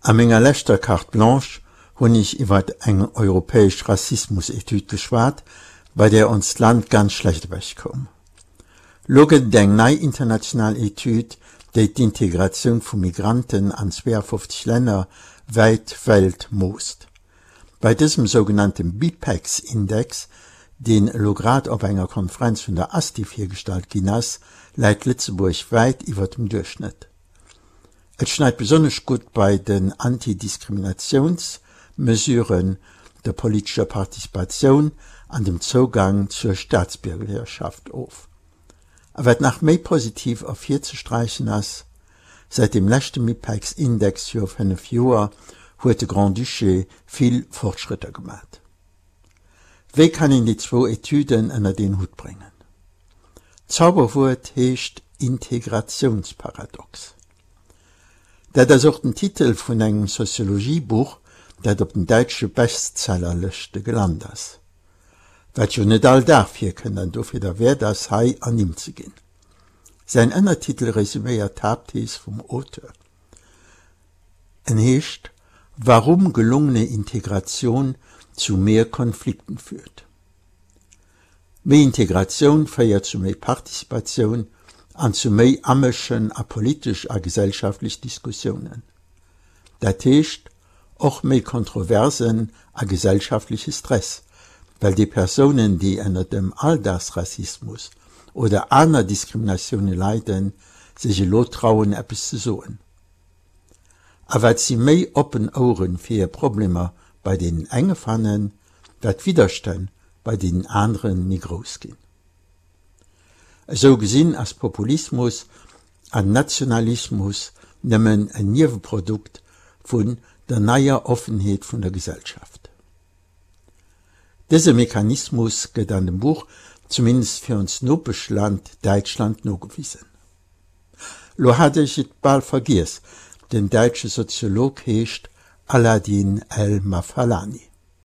A menger leschter Carte Blanche hunn ech iwwert eng europäesch Rassismus-Etüd geschwat, bei där onst Land ganz schlecht ewech koum. Lo gëtt et eng nei international Etüd, déi d'Integratioun vu Migranten an 52 Länner wäit Welt moosst. Bei dësem sougenannte BIPEX-Index, deen elo grad op enger Konferenz vun der ASTI virgestallt ginn ass, läit Lëtzebuerg wäit iwwer dem Duerchschnëtt. Et schneit besonnesch gutt bei den Antidiskriminatiounsmesuren, der politescher Participatioun an dem Zougang zur Staatsbiergerschaft of. A wat nach méi positiv ervirzesträichen ass, Säit dem leschte MIPEX-Index viru 5 Joer huet de Grand-Duché vill Fortschrëtter gemat. Wéi kann een déi zwou Etüden ënnert een Hutt bréngen? D'Zauberwuert heescht Integrationsparadox. Dat ass och den Titel vun engem Soziologiebuch, dat op den däitsche Bestsellerlëschte gelant ass. Wat jo net all Dag virkënnt an dofir derwäert ass, hei ernimmt ze ginn. Säin Ënnertitel resuméiert d'Haaptthees vum Auteur. En heescht Warum gelungene Integration zu mehr Konflikten führt. Méi Integratioun féiert zu méi Participatioun an zu méi Amëschen a politesch a gesellschaftlech Diskussiounen. Dat heescht och méi Kontroversen a gesellschaftleche Stress, well déi Persounen, déi ënner dem Alldagsrassismus oder aner Diskriminatioune leiden, sech elo trauen eppes ze soen. A wat si méi oppen Ouere fir hir Problemer bei deenen enge fannen, wat d'Widderstänn bei deenen anere méi grouss ginn. Esou gesinn ass Populismus an Nationalismus nëmmen en Nieweprodukt vun der neier Offenheet vun der Gesellschaft. Dëse Mechanismus gëtt an dem Buch zumindest fir ons Nopeschland Däitschland nogewisen. Lo hat ech et bal vergiess, den däitsche Soziolog heescht Aladin El Mafaalani.